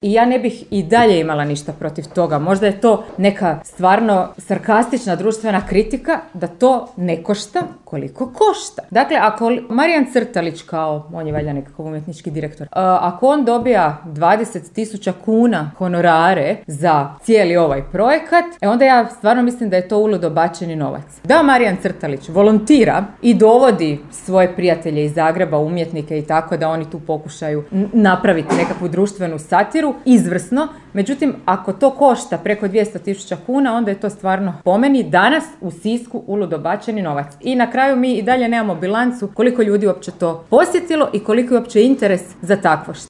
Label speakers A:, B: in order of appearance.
A: I ja ne bih i dalje imala ništa protiv toga. Možda je to neka stvarno sarkastična društvena kritika da to ne košta koliko košta. Dakle, ako Marijan Crtalić, kao on je valjda nekakav umjetnički direktor, ako on dobija 20.000 kuna honorare za cijeli ovaj projekat, onda ja stvarno mislim da je to uludo bačeni novac. Da Marijan Crtalić volontira i dovodi svoje prijatelje iz Zagreba, umjetnike i tako, da oni tu pokušaju napraviti nekakvu društvenu satiru, izvrsno. Međutim, ako to košta preko 200.000 kuna, onda je to stvarno po meni danas u Sisku uludo bačeni novac. I na kraju mi i dalje nemamo bilancu koliko ljudi uopće to posjetilo i koliko je uopće interes za takvo što.